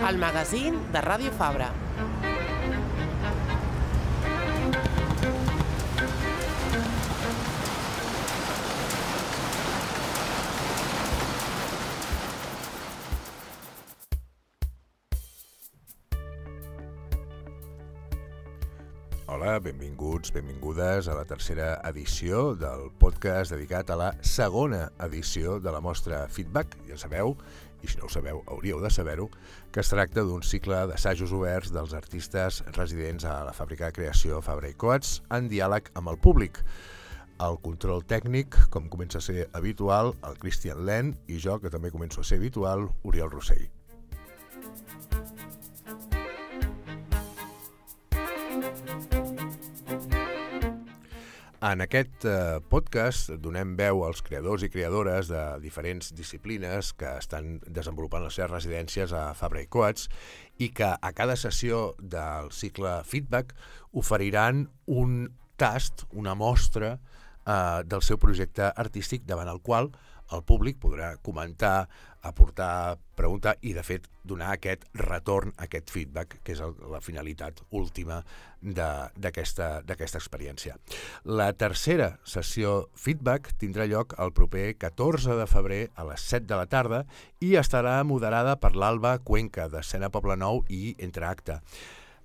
el magazín de Ràdio Fabra. Hola, benvinguts, benvingudes a la tercera edició del podcast dedicat a la segona edició de la mostra Feedback. Ja sabeu, i si no ho sabeu, hauríeu de saber-ho, que es tracta d'un cicle d'assajos oberts dels artistes residents a la fàbrica de creació Fabra i Coats en diàleg amb el públic. El control tècnic, com comença a ser habitual, el Cristian Len, i jo, que també començo a ser habitual, Oriol Rossell. En aquest podcast donem veu als creadors i creadores de diferents disciplines que estan desenvolupant les seves residències a Fabra i Coats i que a cada sessió del cicle Feedback oferiran un tast, una mostra del seu projecte artístic davant el qual el públic podrà comentar, aportar, preguntar i, de fet, donar aquest retorn, aquest feedback, que és la finalitat última d'aquesta experiència. La tercera sessió feedback tindrà lloc el proper 14 de febrer a les 7 de la tarda i estarà moderada per l'Alba Cuenca, d'Escena Poblenou i Entre Acte.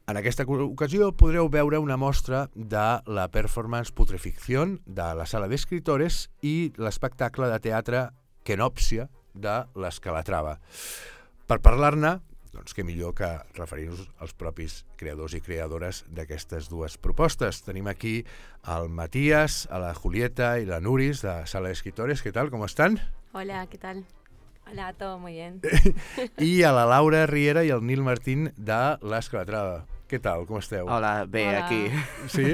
En aquesta ocasió podreu veure una mostra de la performance Putreficción de la Sala d'Escritores i l'espectacle de teatre Kenòpsia de l'Escalatrava. Per parlar-ne, doncs què millor que referir-nos als propis creadors i creadores d'aquestes dues propostes. Tenim aquí el Matías, a la Julieta i la Nuris de Sala d'Escritores. ¿Qué tal? ¿Cómo están? Hola, ¿qué tal? Hola, todo muy bien. I a la Laura Riera i el Nil Martín de l'Escalatrava. Què tal? Com esteu? Hola, bé, hola. Aquí. Sí?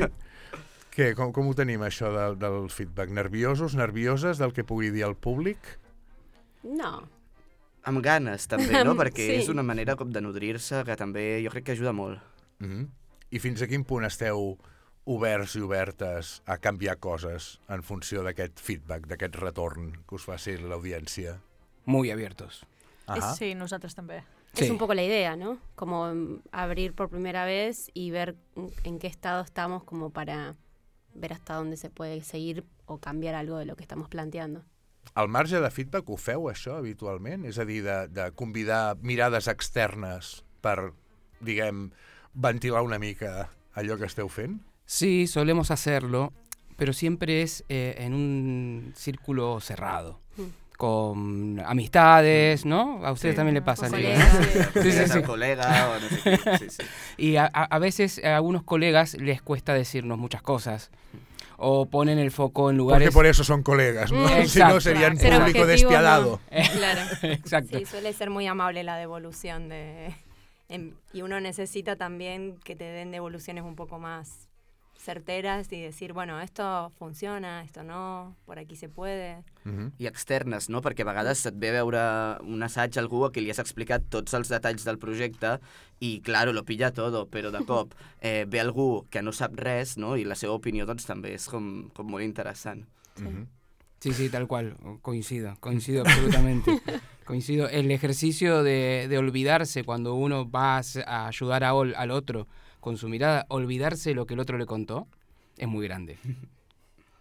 Què? Com ho tenim, això del feedback? Nerviosos, nervioses del que pugui dir el públic? No. Amb ganes, també, no? Perquè sí. És una manera com de nodrir-se que també jo crec que ajuda molt. I fins a quin punt esteu oberts i obertes a canviar coses en funció d'aquest feedback, d'aquest retorn que us faci l'audiència? Muy abiertos. Sí, nosotros también. Es Sí. un poco la idea, ¿no? Como abrir por primera vez y ver en qué estado estamos como para ver hasta dónde se puede seguir o cambiar algo de lo que estamos planteando. Al marge de feedback ho feu, això, habitualment? És a dir, de convidar mirades externes per, diguem, ventilar una mica allò que esteu fent? Sí, solemos hacerlo, pero siempre es en un círculo cerrado. Con amistades, ¿no? A ustedes también le pasa. Sí. Colega o no sé qué. Sí, sí. Y a veces a algunos colegas les cuesta decirnos muchas cosas. O ponen el foco en lugares... Porque por eso son colegas, ¿no? Exacto. Si no serían Ser público objetivo, despiadado. No. Claro. Exacto. Sí, suele ser muy amable la devolución y uno necesita también que te den devoluciones un poco más certeras y decir, bueno, esto funciona, esto no, por aquí se puede. I externes, no? Perquè a vegades et ve a veure un assaig algú a qui li has explicat tots els detalls del projecte i, claro, lo pilla todo, però de cop ve algú que no sap res, no? I la seva opinió doncs també és com molt interessant. Sí, tal cual, coincido absolutamente. Coincido. El ejercicio de olvidarse cuando uno va a ayudar al otro con su mirada, olvidarse lo que el otro le contó, es muy grande.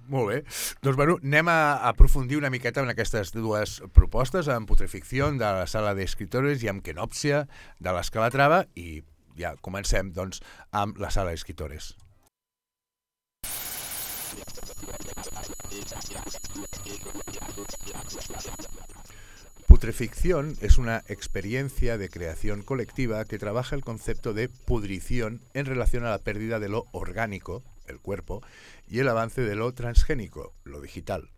Molt bé. Doncs, bueno, anem a aprofundir una miqueta en aquestes dues propostes, amb Putreficción de la Sala d'Escritores i amb Kenòpsia de l'Escalatrava, i ja comencem, doncs, amb la Sala d'Escritores. Putreficción es una experiencia de creación colectiva que trabaja el concepto de pudrición en relación a la pérdida de lo orgánico, el cuerpo, y el avance de lo transgénico, lo digital.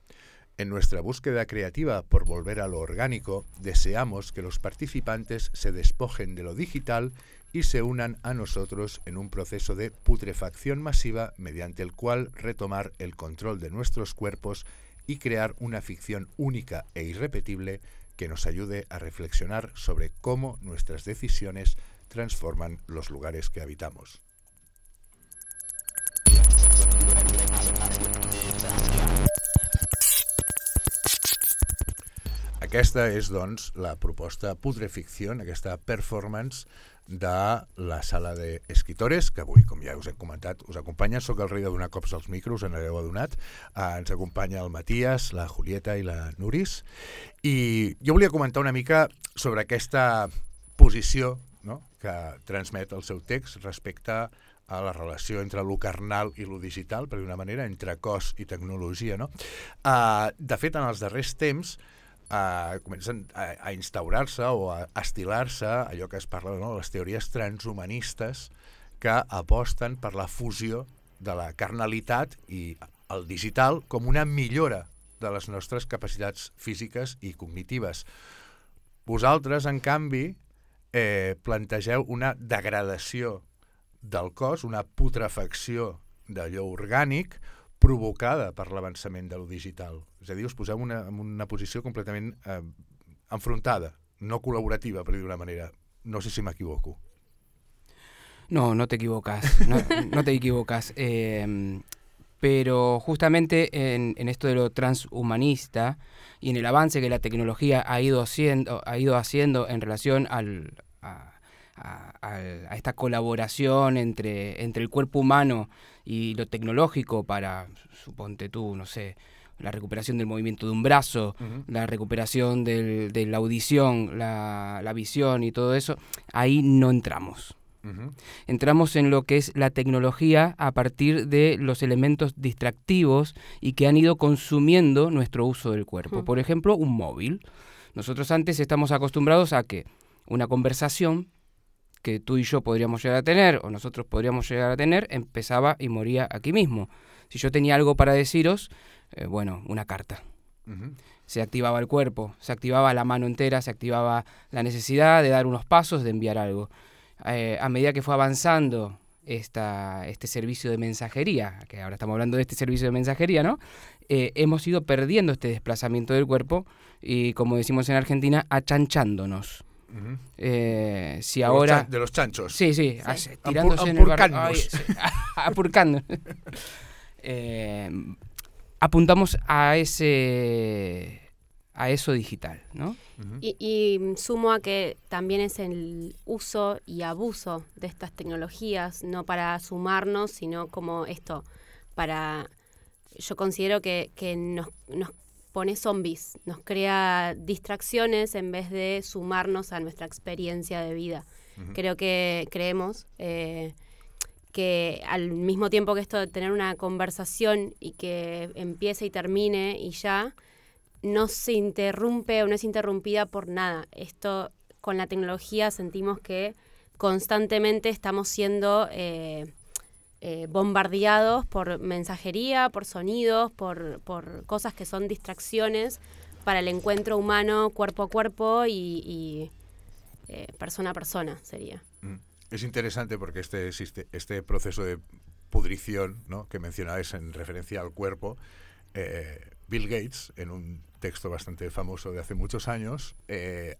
En nuestra búsqueda creativa por volver a lo orgánico, deseamos que los participantes se despojen de lo digital y se unan a nosotros en un proceso de putrefacción masiva mediante el cual retomar el control de nuestros cuerpos y crear una ficción única e irrepetible que nos ayude a reflexionar sobre cómo nuestras decisiones transforman los lugares que habitamos. aquesta és, doncs, la proposta Putreficción, aquesta performance de la sala d'escritores, que avui, com ja us he comentat, us acompanya. Soc el rei de donar cops als micros, en hagueu adonat. Ens acompanya el Matías, la Julieta i la Nuris. I jo volia comentar una mica sobre aquesta posició, no?, que transmet el seu text respecte a la relació entre lo carnal i lo digital, per d'una manera, entre cos i tecnologia, no? De fet, en els darrers temps comencen a instaurar-se o a estilar-se allò que es parla, no?, les teories transhumanistes que aposten per la fusió de la carnalitat i el digital com una millora de les nostres capacitats físiques i cognitives. Vosaltres, en canvi, plantegeu una degradació del cos, una putrefacció d'allò orgànic provocada per l'avançament de lo digital. És a dir, us poseu en una posició completament enfrontada, no col·laborativa, per dir d'una manera. No sé si m'equivoco. No, no te equivocas, no te equivocas. Pero justamente en esto de lo transhumanista y en el avance que la tecnología ha ido haciendo en relación a esta colaboración entre el cuerpo humano y lo tecnológico para, suponte tú, no sé, la recuperación del movimiento de un brazo, la recuperación de la audición, la visión y todo eso, ahí no entramos. Entramos en lo que es la tecnología a partir de los elementos distractivos y que han ido consumiendo nuestro uso del cuerpo. Por ejemplo, un móvil. Nosotros antes estamos acostumbrados a que una conversación que tú y yo podríamos llegar a tener, o nosotros podríamos llegar a tener, empezaba y moría aquí mismo. Si yo tenía algo para deciros, una carta. Se activaba el cuerpo, se activaba la mano entera, se activaba la necesidad de dar unos pasos, de enviar algo. A medida que fue avanzando este servicio de mensajería, que ahora estamos hablando de este servicio de mensajería, ¿no? Hemos ido perdiendo este desplazamiento del cuerpo y, como decimos en Argentina, achanchándonos. Si ahora de los chanchos. Sí, tirándose en el barro, apurcando. Apuntamos a eso digital, ¿no? Y sumo a que también es el uso y abuso de estas tecnologías, no para sumarnos, sino como esto, yo considero que nos pone zombies, nos crea distracciones en vez de sumarnos a nuestra experiencia de vida. Creemos que al mismo tiempo que esto de tener una conversación y que empiece y termine y ya, no se interrumpe o no es interrumpida por nada. Esto, con la tecnología, sentimos que constantemente estamos siendo bombardeados por mensajería, por sonidos, por cosas que son distracciones para el encuentro humano, cuerpo a cuerpo y persona a persona, sería. Es interesante porque este proceso de pudrición, ¿no?, que mencionabais en referencia al cuerpo, Bill Gates, en un texto bastante famoso de hace muchos años,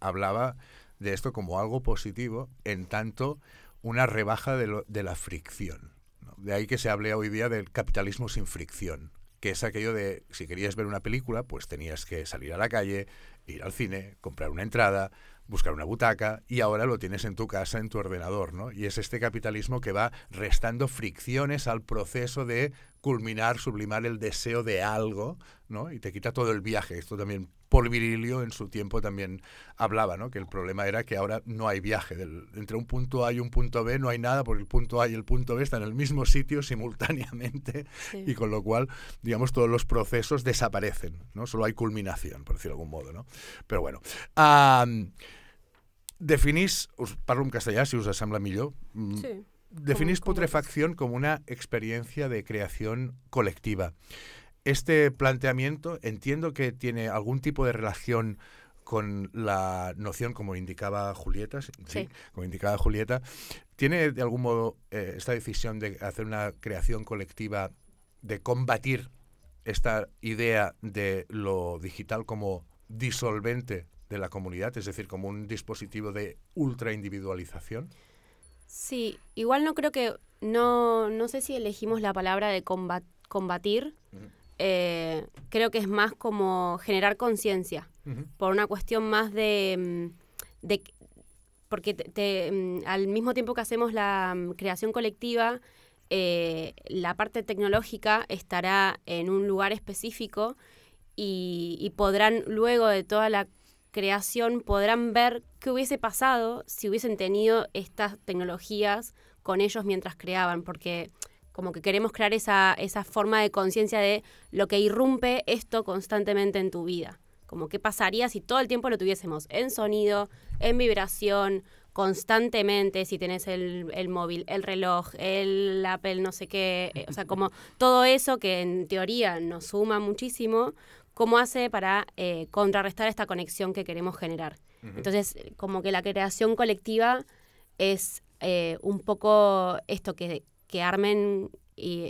hablaba de esto como algo positivo, en tanto una rebaja de la fricción, ¿no? De ahí que se hable hoy día del capitalismo sin fricción, que es aquello de, si querías ver una película, pues tenías que salir a la calle, ir al cine, comprar una entrada, buscar una butaca, y ahora lo tienes en tu casa, en tu ordenador, ¿no? Y es este capitalismo que va restando fricciones al proceso de culminar, sublimar el deseo de algo, ¿no? Y te quita todo el viaje. Esto también Paul Virilio en su tiempo también hablaba, ¿no?, que el problema era que ahora no hay viaje. Entre un punto A y un punto B no hay nada, porque el punto A y el punto B están en el mismo sitio simultáneamente, y con lo cual, digamos, todos los procesos desaparecen, ¿no? Solo hay culminación, por decirlo de algún modo, ¿no? Però bueno, definís, us parlo en castellà si us sembla millor. Sí. Definís putrefacción como una experiencia de creación colectiva. Este planteamiento entiendo que tiene algún tipo de relación con la noción, como indicaba Julieta, sí, como indicaba Julieta, ¿tiene de algún modo esta decisión de hacer una creación colectiva, de combatir esta idea de lo digital como disolvente de la comunidad, es decir, como un dispositivo de ultraindividualización? Sí, igual no creo que, no sé si elegimos la palabra de combatir, creo que es más como generar conciencia. por una cuestión más de porque al mismo tiempo que hacemos la creación colectiva, la parte tecnológica estará en un lugar específico y podrán, luego de toda la creación, podrán ver qué hubiese pasado si hubiesen tenido estas tecnologías con ellos mientras creaban, porque como que queremos crear esa forma de conciencia de lo que irrumpe esto constantemente en tu vida. Como qué pasaría si todo el tiempo lo tuviésemos en sonido, en vibración, constantemente, si tenés el móvil, el reloj, el Apple, no sé qué, o sea, como todo eso que en teoría nos suma muchísimo, ¿cómo hace para contrarrestar esta conexión que queremos generar? Entonces, como que la creación colectiva es un poco esto, que armen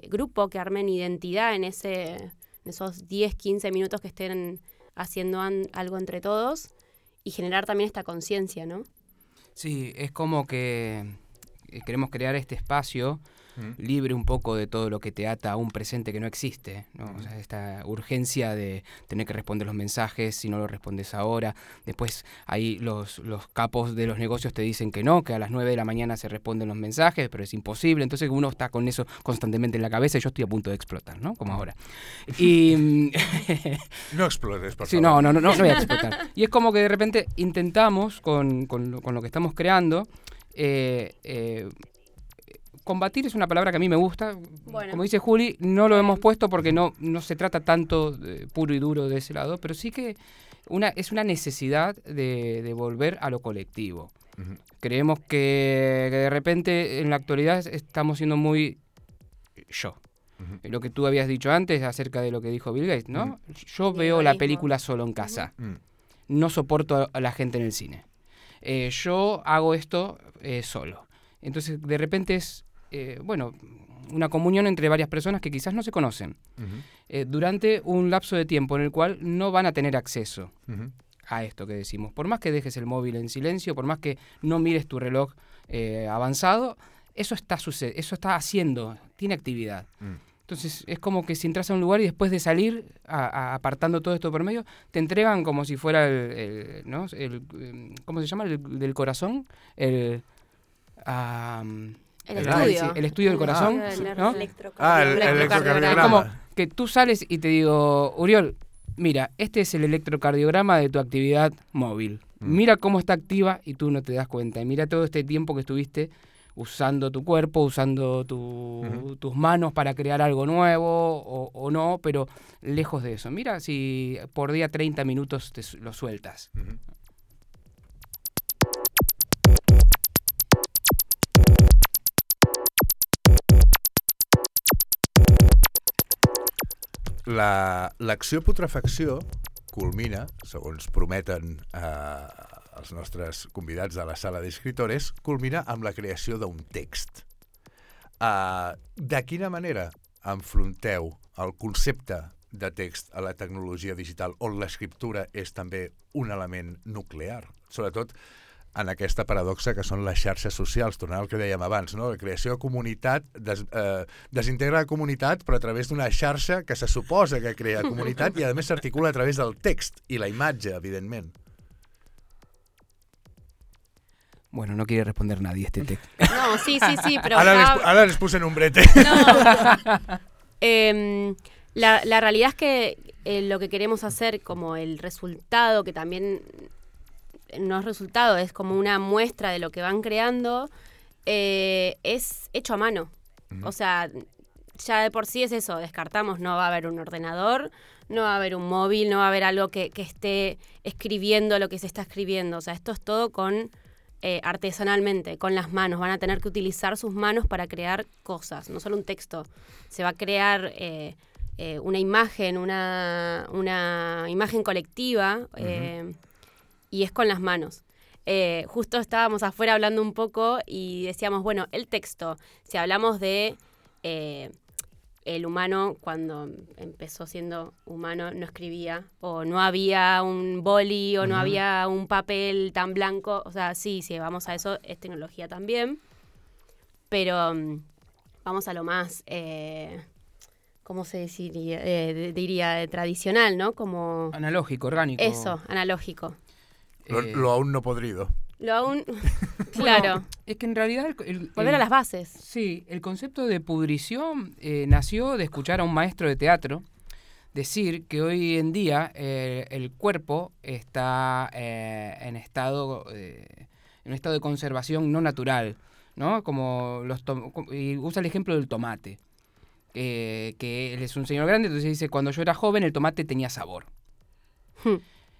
grupo, que armen identidad en esos 10, 15 minutos que estén haciendo algo entre todos y generar también esta conciencia, ¿no? Sí, es como que queremos crear este espacio libre un poco de todo lo que te ata a un presente que no existe, ¿no? O sea, esta urgencia de tener que responder los mensajes si no lo respondes ahora. Después ahí los capos de los negocios te dicen que no, que a las 9 de la mañana se responden los mensajes, pero es imposible. Entonces uno está con eso constantemente en la cabeza y yo estoy a punto de explotar, ¿no? Como ahora. Y no explotes, por favor. Sí, no voy a explotar. Y es como que de repente intentamos con lo que estamos creando combatir es una palabra que a mí me gusta. Bueno. Como dice Juli, no lo hemos puesto porque no se trata tanto puro y duro de ese lado, pero sí que es una necesidad de volver a lo colectivo. Creemos que de repente en la actualidad estamos siendo muy yo. Lo que tú habías dicho antes acerca de lo que dijo Bill Gates, ¿no? Yo veo la película solo en casa. No soporto a la gente en el cine. Yo hago esto solo. Entonces, de repente es una comunión entre varias personas que quizás no se conocen durante un lapso de tiempo en el cual no van a tener acceso a esto que decimos. Por más que dejes el móvil en silencio, por más que no mires tu reloj avanzado, eso está haciendo, tiene actividad. Entonces es como que si entras a un lugar y después de salir, apartando todo esto por medio, te entregan como si fuera ¿no? ¿cómo se llama? El del corazón, el estudio. El estudio del corazón. ¿no? El electrocardiograma. Es como que tú sales y te digo, Uriol, mira, este es el electrocardiograma de tu actividad móvil. Mira cómo está activa y tú no te das cuenta. Y mira todo este tiempo que estuviste usando tu cuerpo, usando tus manos para crear algo nuevo o no, pero lejos de eso. Mira si por día 30 minutos lo sueltas. L'acció putrefacció culmina, segons prometen els nostres convidats de la sala d'escritores, culmina amb la creació d'un text. De quina manera enfronteu el concepte de text a la tecnologia digital, on l'escriptura és també un element nuclear? Sobretot en aquesta paradoxa que són les xarxes socials, tornant al que dèiem abans, no? La creació de comunitat desintegra la comunitat, però a través d'una xarxa que se suposa que crea comunitat i a més s'articula a través del text i la imatge, evidentment. Bueno, no quiere responder nadie este texto. No, sí, pero... Ahora les puse en un brete. No. La realidad es que lo que queremos hacer como el resultado, que también no es resultado, es como una muestra de lo que van creando, es hecho a mano. O sea, ya de por sí es eso, descartamos, no va a haber un ordenador, no va a haber un móvil, no va a haber algo que esté escribiendo lo que se está escribiendo. O sea, esto es todo con artesanalmente, con las manos. Van a tener que utilizar sus manos para crear cosas, no solo un texto. Se va a crear una imagen, una imagen colectiva, y es con las manos. Justo estábamos afuera hablando un poco y decíamos, bueno, el texto, si hablamos de el humano, cuando empezó siendo humano, no escribía, o no había un boli, o no había un papel tan blanco. O sea, sí, vamos a eso, es tecnología también, pero vamos a lo más ¿cómo se diría? Tradicional, ¿no? Como... Analógico, orgánico. Eso, analógico. Lo aún no podrido. Lo aún... Claro. Bueno, es que en realidad... Volver a las bases. Sí, el concepto de pudrición nació de escuchar a un maestro de teatro decir que hoy en día el cuerpo está en un estado de conservación no natural, ¿no? Y usa el ejemplo del tomate, que él es un señor grande, entonces dice, cuando yo era joven el tomate tenía sabor.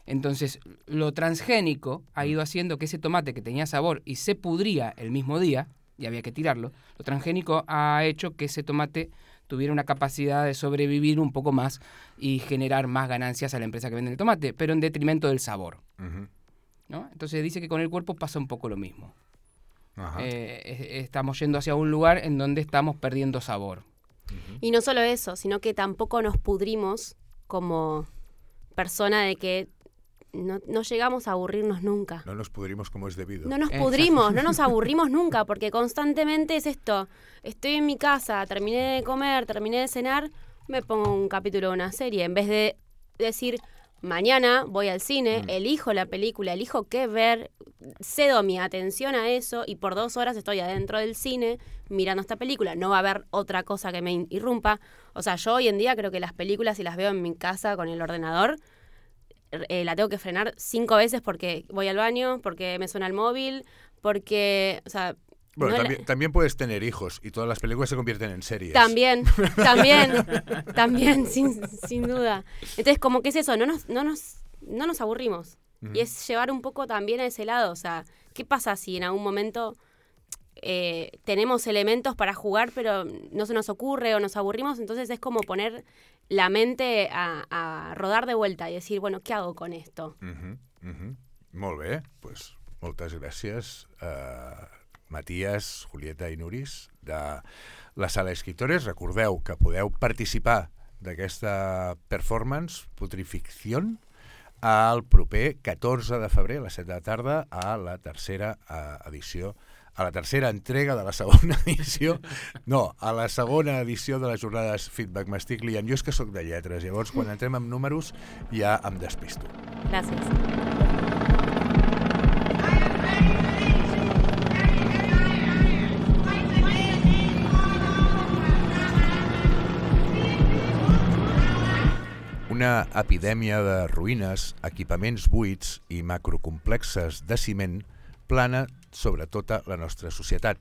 Entonces, lo transgénico ha ido haciendo que ese tomate que tenía sabor y se pudría el mismo día, y había que tirarlo, lo transgénico ha hecho que ese tomate tuviera una capacidad de sobrevivir un poco más y generar más ganancias a la empresa que vende el tomate, pero en detrimento del sabor. ¿No? Entonces dice que con el cuerpo pasa un poco lo mismo. Estamos yendo hacia un lugar en donde estamos perdiendo sabor. Y no solo eso, sino que tampoco nos pudrimos como persona de que no llegamos a aburrirnos nunca. No nos pudrimos como es debido. No nos pudrimos, no nos aburrimos nunca, porque constantemente es esto. Estoy en mi casa, terminé de comer, terminé de cenar, me pongo un capítulo de una serie. En vez de decir, mañana voy al cine, elijo la película, elijo qué ver, cedo mi atención a eso y por 2 horas estoy adentro del cine mirando esta película. No va a haber otra cosa que me irrumpa. O sea, yo hoy en día creo que las películas, si las veo en mi casa con el ordenador, la tengo que frenar 5 veces porque voy al baño, porque me suena el móvil, porque, o sea... Bueno, también puedes tener hijos y todas las películas se convierten en series. También, sin duda. Entonces, como que es eso, no nos aburrimos. Y es llevar un poco también a ese lado, o sea, ¿qué pasa si en algún momento tenemos elementos para jugar pero no se nos ocurre o nos aburrimos? Entonces es como poner la mente a rodar de vuelta y decir, bueno, ¿qué hago con esto? Molt bé, pues moltes gràcies Matías, Julieta i Nuris de la Sala Escritores. Recordeu que podeu participar d'aquesta performance Putrificción el proper 14 de febrer a les 7 de la tarda a la tercera edició, a la tercera entrega de la segona edició, no, a la segona edició de les jornades Feedback. M'estic liant. Jo és que sóc de lletres, llavors quan entrem amb números ja em despisto. Gràcies. Una epidèmia de ruïnes, equipaments buits i macrocomplexes de ciment plana sobre tota la nostra societat.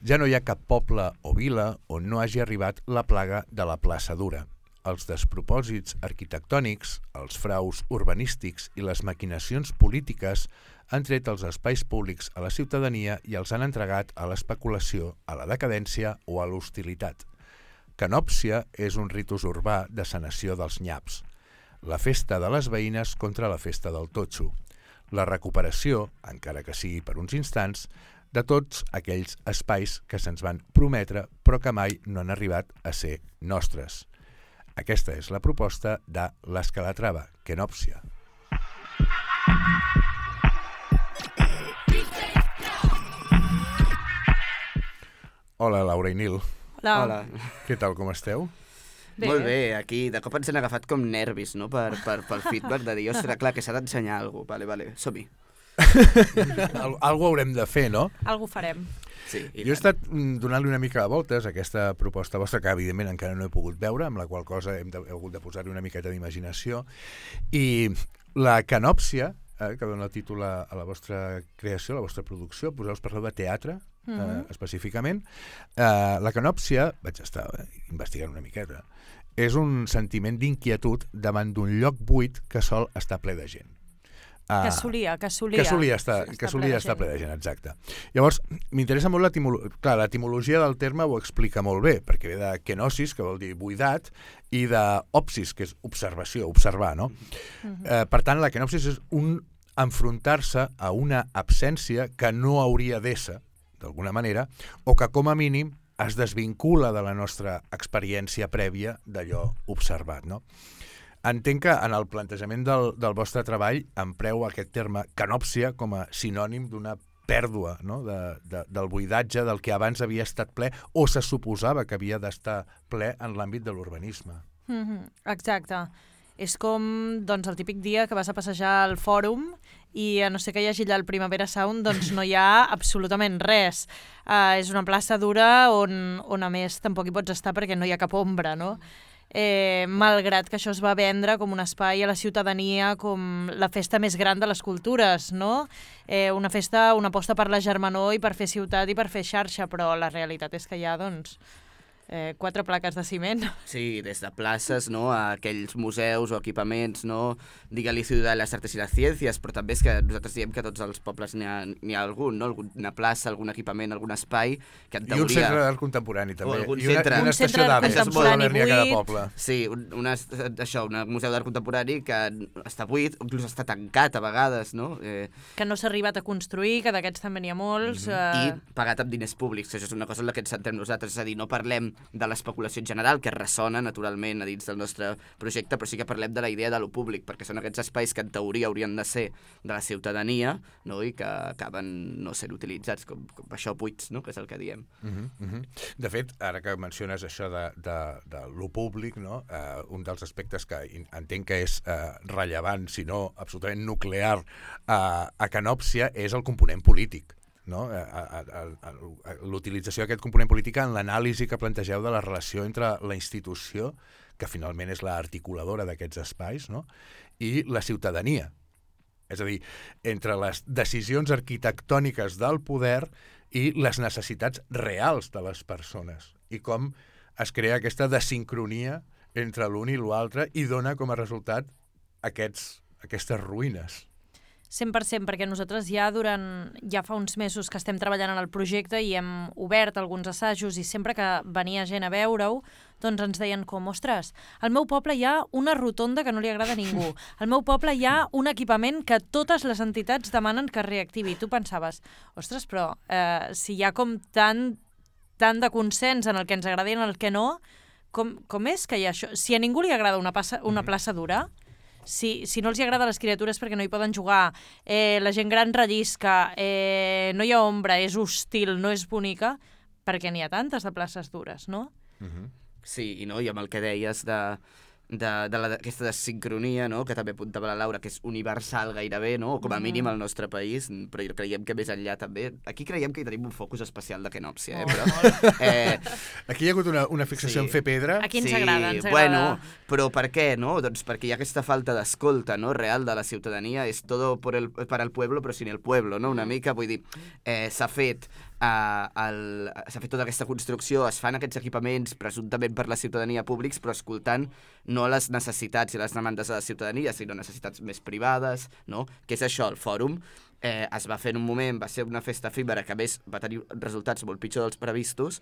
Ja no hi ha cap poble o vila on no hagi arribat la plaga de la plaça dura. Els despropòsits arquitectònics, els fraus urbanístics i les maquinacions polítiques han tret els espais públics a la ciutadania i els han entregat a l'especulació, a la decadència o a l'hostilitat. Canòpsia és un ritus urbà de sanació dels nyaps, la festa de les veïnes contra la festa del totxo, la recuperació, encara que sigui per uns instants, de tots aquells espais que se'ns van prometre però que mai no han arribat a ser nostres. Aquesta és la proposta de l'Escalatrava, Canòpsia. Hola, Laura i Nil. Hola. Què tal, com esteu? Bé. Molt bé, aquí de cop ens han agafat com nervis, no?, pel feedback de dir, ostres, clar, que s'ha d'ensenyar alguna cosa. Vale, som-hi. Algo haurem de fer, no? Algo farem. Sí, Jo he estat donant-li una mica de voltes a aquesta proposta vostra, que evidentment encara no he pogut veure, amb la qual cosa he hagut de posar-hi una miqueta d'imaginació. I la canòpsia, que dona el títol a la vostra creació, a la vostra producció, poseu-vos parleu de teatre, específicament. La canòpsia, vaig estar investigant una miqueta, és un sentiment d'inquietud davant d'un lloc buit que sol estar ple de gent. Que solia estar ple de gent, exacte. Llavors, m'interessa molt l'etimologia del terme, ho explica molt bé, perquè ve de kenosis, que vol dir buidat, i d'opsis, que és observació, observar, no? Per tant, la kenopsis és un enfrontar-se a una absència que no hauria d'ésser, d'alguna manera, o que com a mínim es desvincula de la nostra experiència prèvia d'allò observat, no? Entenc que en el plantejament del vostre treball empreu aquest terme canòpsia com a sinònim d'una pèrdua, no? Del buidatge del que abans havia estat ple o se suposava que havia d'estar ple en l'àmbit de l'urbanisme. Exacte. És com doncs, el típic dia que vas a passejar al fòrum i a no ser que hi hagi allà el Primavera Sound, doncs no hi ha absolutament res. És una plaça dura on a més tampoc hi pots estar perquè no hi ha cap ombra, no? Malgrat que això es va vendre com un espai a la ciutadania, com la festa més gran de les cultures, no? Una festa, una aposta per la germanor i per fer ciutat i per fer xarxa, però la realitat és que hi ha, doncs, 4 plaques de ciment. Sí, des de places, no?, a aquells museus o equipaments, no?, digue-li Ciutat de les Artes i les Ciències, però també és que nosaltres diem que a tots els pobles n'hi ha algun, no?, alguna plaça, algun equipament, algun espai, que en teoria... I un centre d'art contemporani, també. algun I una estació d'aves contemporani a cada buit. poble. Sí, un museu d'art contemporani que està buit, inclús està tancat a vegades, no? Que no s'ha arribat a construir, que d'aquests també n'hi ha molts. I pagat amb diners públics, això és una cosa en la que ens centrem nosaltres, és a dir, no parlem de l'especulació en general, que ressona naturalment a dins del nostre projecte, però sí que parlem de la idea de lo públic, perquè són aquests espais que en teoria haurien de ser de la ciutadania, no?, i que acaben no sent utilitzats com això buits, no?, que és el que diem. De fet, ara que menciones això de lo públic, no? Un dels aspectes que entenc que és rellevant, si no absolutament nuclear a Canòpsia, és el component polític. No? L'utilització d'aquest component polític en l'anàlisi que plantegeu de la relació entre la institució, que finalment és l'articuladora d'aquests espais, no?, i la ciutadania. És a dir, entre les decisions arquitectòniques del poder i les necessitats reals de les persones, i com es crea aquesta desincronia entre l'un i l'altre i dona com a resultat aquestes ruïnes. 100%, perquè nosaltres ja fa uns mesos que estem treballant en el projecte i hem obert alguns assajos i sempre que venia gent a veure-ho, doncs ens deien com, ostres, al meu poble hi ha una rotonda que no li agrada a ningú, al meu poble hi ha un equipament que totes les entitats demanen que es reactivi. Tu pensaves, ostres, però si hi ha com tant de consens en el que ens agrada i en el que no, com és que hi ha això? Si a ningú li agrada una plaça dura, si no els agrada les criatures perquè no hi poden jugar, la gent gran rellisca, no hi ha ombra, és hostil, no és bonica, perquè n'hi ha tantes de places dures, no? Sí, i amb el que deies d'aquesta desincronia, no?, que també apuntava la Laura, que és universal gairebé, no?, com a mínim al nostre país, però creiem que més enllà també... Aquí creiem que hi tenim un focus especial de Canòpsia, però... Aquí hi ha hagut una fixació en fer pedra. Aquí ens agrada, Bueno, però per què, no? Doncs perquè hi ha aquesta falta d'escolta, no?, real de la ciutadania, és todo para el pueblo, però sin el pueblo, no?, una mica, vull dir, s'ha fet tota aquesta construcció, es fan aquests equipaments presumptament per la ciutadania públics, però escoltant no les necessitats i les demandes de la ciutadania, sinó necessitats més privades, no? Què és això? El fòrum es va fer en un moment, va ser una festa efímera que a més va tenir resultats molt pitjors dels previstos,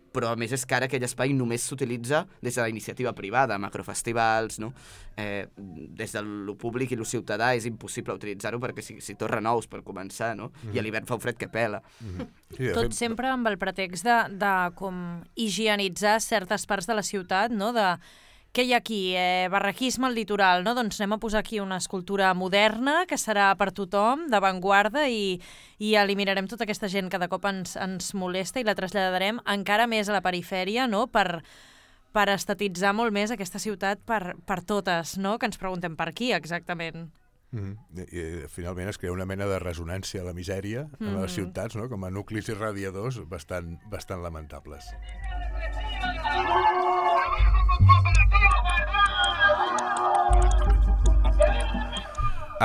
però a més és que ara aquell espai només s'utilitza des de la iniciativa privada, macrofestivals, no? Des de lo públic i lo ciutadà és impossible utilitzar-ho perquè si torra nous per començar, no? I a l'hivern fa un fred que pela. Tot sempre amb el pretext de com higienitzar certes parts de la ciutat, no?, de què hi ha aquí? Barraquisme al litoral, no? Doncs anem a posar aquí una escultura moderna que serà per tothom, d'avantguarda, i eliminarem tota aquesta gent que de cop ens molesta i la traslladarem encara més a la perifèria, no?, per estatitzar molt més aquesta ciutat per totes, no?, que ens preguntem per qui exactament. I finalment es crea una mena de resonància a la misèria en les ciutats, no?, com a nuclis irradiadors bastant lamentables.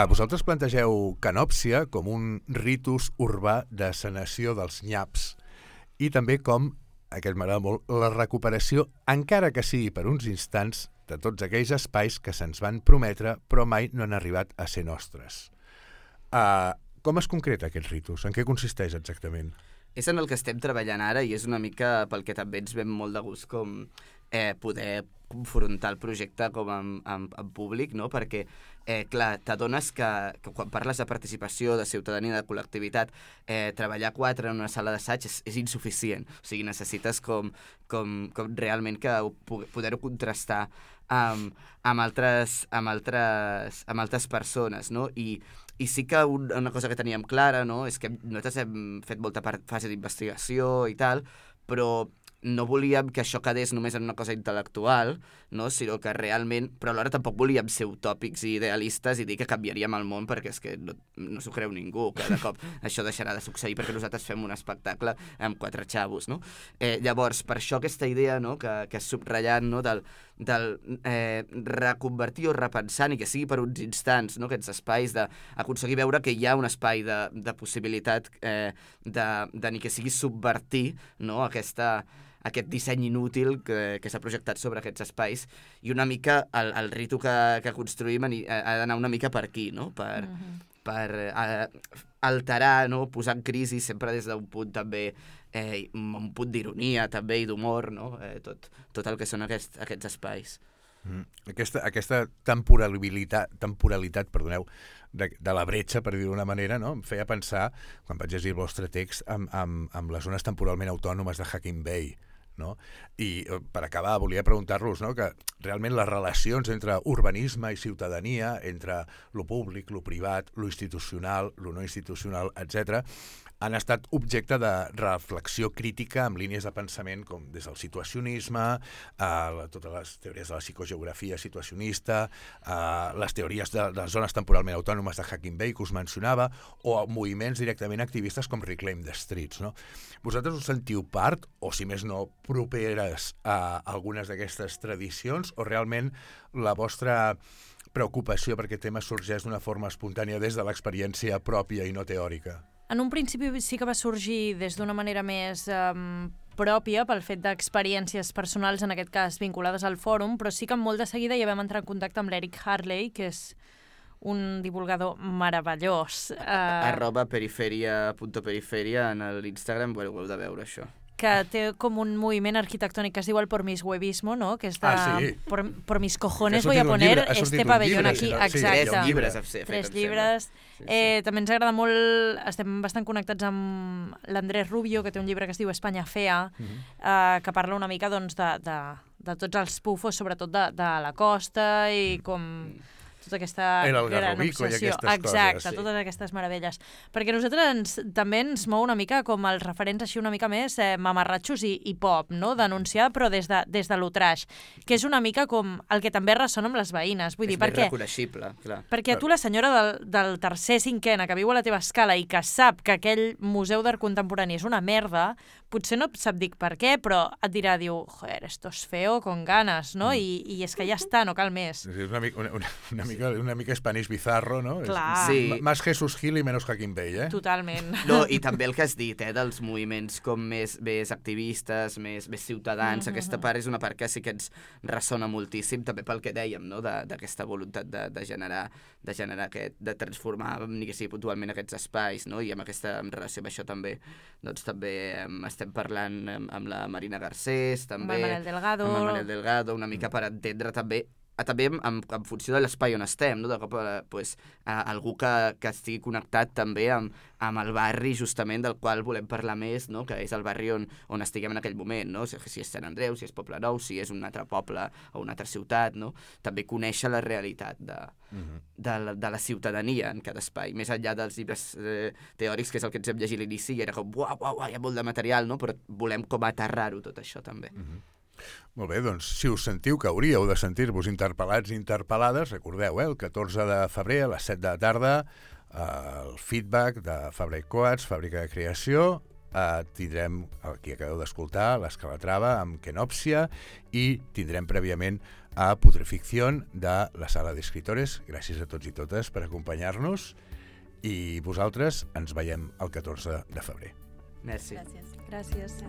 Vosaltres plantegeu Canòpsia com un ritus urbà de sanació dels nyaps i també com, aquest m'agrada molt, la recuperació, encara que sigui per uns instants, de tots aquells espais que se'ns van prometre però mai no han arribat a ser nostres. Com es concreta aquest ritus? En què consisteix exactament? És en el que estem treballant ara i és una mica pel que també ens ve molt de gust com poder confrontar el projecte com en públic, no? Perquè, clar, t'adones que quan parles de participació, de ciutadania, de col·lectivitat, treballar 4 en una sala d'assaig és insuficient. O sigui, necessites com realment que poder-ho contrastar amb altres persones, no? I I sí que una cosa que teníem clara, no?, és que nosaltres hem fet molta fase d'investigació i tal, però no volíem que això quedés només en una cosa intel·lectual, no?, sinó que realment... Però alhora tampoc volíem ser utòpics i idealistes i dir que canviaríem el món, perquè és que no s'ho creu ningú, que de cop això deixarà de succeir perquè nosaltres fem un espectacle amb 4 xavos, no? Llavors, per això aquesta idea, no?, que has subratllat, no?, del reconvertir o repensar, ni que sigui per uns instants, no?, aquests espais, d'aconseguir veure que hi ha un espai de possibilitat de ni que sigui subvertir, no?, aquest disseny inútil que s'ha projectat sobre aquests espais, i una mica el ritu que construïm ha d'anar una mica per aquí, no?, per alterar, no?, posar en crisi sempre des d'un punt també, un punt d'ironia també i d'humor, no?, tot el que són aquests espais. Aquesta temporalitat, perdoneu, de la bretxa, per dir-ho d'una manera, no?, em feia pensar, quan vaig llegir el vostre text, amb les zones temporalment autònomes de Hacking Bay, no? I per acabar volia preguntar-los, no?, que realment les relacions entre urbanisme i ciutadania, entre lo públic, lo privat, lo institucional, lo no institucional, etc., han estat objecte de reflexió crítica amb línies de pensament com des del situacionisme, totes les teories de la psicogeografia situacionista, les teories de les zones temporalment autònomes de Hacking Bay que us mencionava, o moviments directament activistes com Reclaim the Streets, no? Vosaltres us sentiu part, o si més no, properes a algunes d'aquestes tradicions, o realment la vostra preocupació per aquest tema sorgeix d'una forma espontània des de l'experiència pròpia i no teòrica? En un principi sí que va sorgir des d'una manera més pròpia pel fet d'experiències personals, en aquest cas vinculades al fòrum, però sí que molt de seguida ja vam entrar en contacte amb l'Eric Harley, que és un divulgador meravellós. @periferia.periferia en l'Instagram, ho heu de veure, això. Que té com un moviment arquitectònic que es diu el pormishuevismo, no?, que és de sí. por mis cojones voy a poner este pabellón aquí. Exacte. 3 llibres. 3 llibres. També ens agrada molt, estem bastant connectats amb l'Andrés Rubio, que té un llibre que es diu Espanya Fea, que parla una mica doncs, de tots els pufos, sobretot de la costa i com tota aquesta gran obsessió. Exacte, totes aquestes meravelles. Perquè a nosaltres també ens mou una mica com els referents així una mica més mamarratxos i pop, no?, denunciar, però des de lo trash, que és una mica com el que també ressona amb les veïnes. Vull dir, és més reconeixible, clar. Perquè a tu la senyora del tercer cinquena que viu a la teva escala i que sap que aquell museu d'art contemporani és una merda, potser no sap dir per què, però et dirà, joder, esto es feo con ganas, no? I és que ja està, no cal més. És una mica Spanish bizarro, no? Clar. Sí. Más Jesús Gil i menos Hacking Bay, eh? Totalment. No, i també el que has dit, dels moviments com més activistes, més ciutadans, aquesta part és una part que sí que ens ressona moltíssim, també pel que dèiem, no?, d'aquesta voluntat de generar de transformar, ni que sigui puntualment, aquests espais, no?, i en relació amb això també, doncs també estem parlant amb la Marina Garcés, també amb el Manel Delgado, una mica per entendre també en funció de l'espai on estem, no?, de cop algú que estigui connectat també amb el barri justament del qual volem parlar més, no?, que és el barri on estiguem en aquell moment, no?, si és Sant Andreu, si és Poblenou, si és un altre poble o una altra ciutat, no?, també conèixer la realitat de la ciutadania en cada espai, més enllà dels llibres teòrics, que és el que ens hem llegit a l'inici, i era com, uau, hi ha molt de material, no?, però volem com aterrar-ho tot això també. Molt bé, doncs si us sentiu que hauríeu de sentir-vos interpel·lats i interpel·lades, recordeu, el 14 de febrer a les 7 de la tarda, el feedback de Fabra i Coats, Fàbrica de Creació, tindrem el que acabeu d'escoltar, l'Escalatrava amb Kenòpsia, i tindrem prèviament a Putreficción de la Sala d'Escritores. Gràcies a tots i totes per acompanyar-nos, i vosaltres ens veiem el 14 de febrer. Merci. Gràcies.